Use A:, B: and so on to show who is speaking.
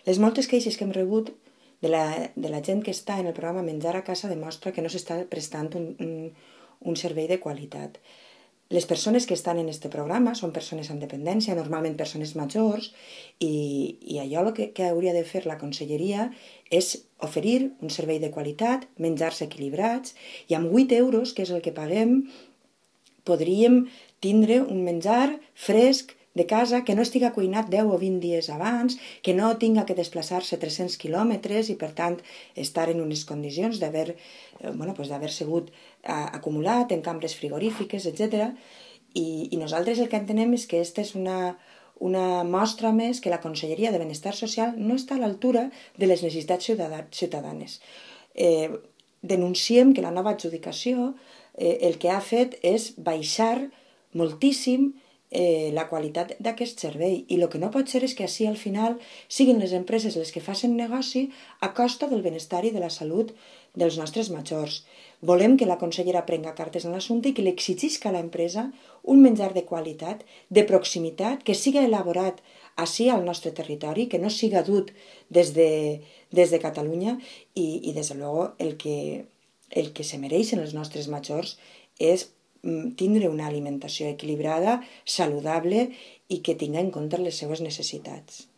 A: Les moltes queixes que hem rebut de la gent que està en el programa Menjar a Casa demostra que no s'està prestant un servei de qualitat. Les persones que estan en aquest programa són persones amb dependència, normalment persones majors, i allò que hauria de fer la conselleria és oferir un servei de qualitat, menjars equilibrats, i amb 8 euros, que és el que paguem, podríem tindre un menjar fresc de casa que no estiga cuinat 10 o 20 dies abans, que no tinga que desplaçar-se 300 quilòmetres i per tant estar en unes condicions d'haver sigut acumulat en cambres frigorífiques, etc. I nosaltres el que entenem és que aquesta és una mostra més que la Conselleria de Benestar Social no està a l'altura de les necessitats ciutadanes. Denunciem que la nova adjudicació el que ha fet és baixar moltíssim la qualitat d'aquest servei, i el que no pot ser és que així al final siguin les empreses les que facin negoci a costa del benestar i de la salut dels nostres majors. Volem que la consellera prenga cartes en l'assumpte i que li exigisca a l'empresa un menjar de qualitat, de proximitat, que siga elaborat així al nostre territori, que no siga dut des de Catalunya, i des de luego el que se mereixen els nostres majors és tindre una alimentació equilibrada, saludable i que tingui en compte les seues necessitats.